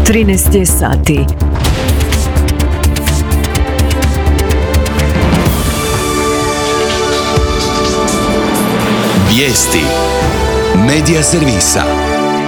13 je sati. Vijesti Medija servisa.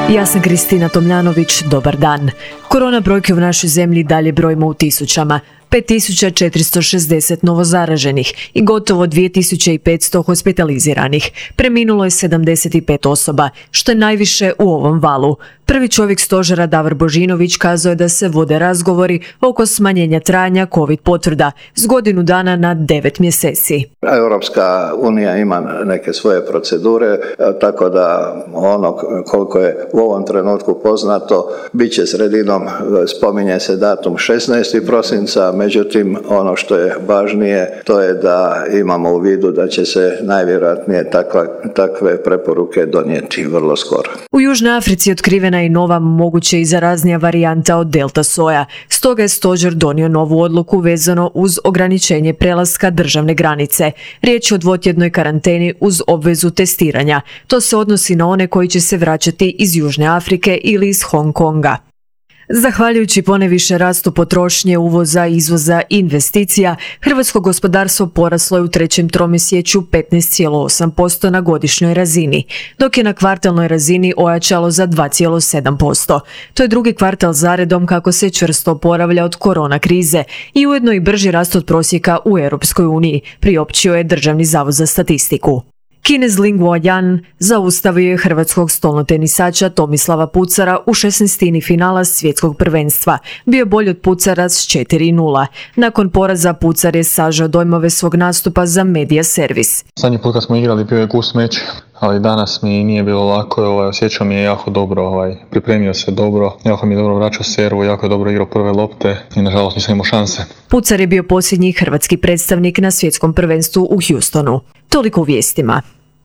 Ja sam Kristina Tomljanović, dobar dan. Korona brojke u našoj zemlji dalje brojimo u tisućama. 5460 novozaraženih i gotovo 2500 hospitaliziranih. Preminulo je 75 osoba, što je najviše u ovom valu. Prvi čovjek stožera Davor Božinović kazao je da se vode razgovori oko smanjenja trajanja COVID potvrda s godinu dana na 9 mjeseci. Europska unija ima neke svoje procedure, tako da ono koliko je u ovom trenutku poznato, bit će sredinom, spominje se datum 16. prosinca, međutim ono što je važnije to je da imamo u vidu da će se najvjerojatnije takve preporuke donijeti vrlo skoro. U Južnoj Africi otkrivena je nova, moguće i zaraznija varijanta od delta soja. Stoga je stožer donio novu odluku vezano uz ograničenje prelaska državne granice. Riječ je o dvotjednoj karanteni uz obvezu testiranja. To se odnosi na one koji će se vraćati iz Južne Afrike ili iz Hong Konga. Zahvaljujući poneviše rastu potrošnje, uvoza, izvoza i investicija, hrvatsko gospodarstvo poraslo je u trećem tromjesečju 15,8% na godišnjoj razini, dok je na kvartalnoj razini ojačalo za 2,7%. To je drugi kvartal zaredom kako se čvrsto oporavlja od korona krize i ujedno i brži rast od prosjeka u Europskoj uniji, priopćio je Državni zavod za statistiku. Kinez Lingua Yan zaustavio je hrvatskog stolnotenisača Tomislava Pucara u 16. finala svjetskog prvenstva. Bio je bolji od Pucara s 4:0. Nakon poraza Pucar je sažao dojmove svog nastupa za Medija servis. Zadnji put kad smo igrali bio je gust meč, ali danas mi nije bilo lako, osjećao mi je jako dobro, pripremio se dobro, jako mi je dobro vraćao servu, jako je dobro igrao prve lopte i nažalost nisam imao šanse. Pucar je bio posljednji hrvatski predstavnik na svjetskom prvenstvu u Houstonu. Toliko u vijestima.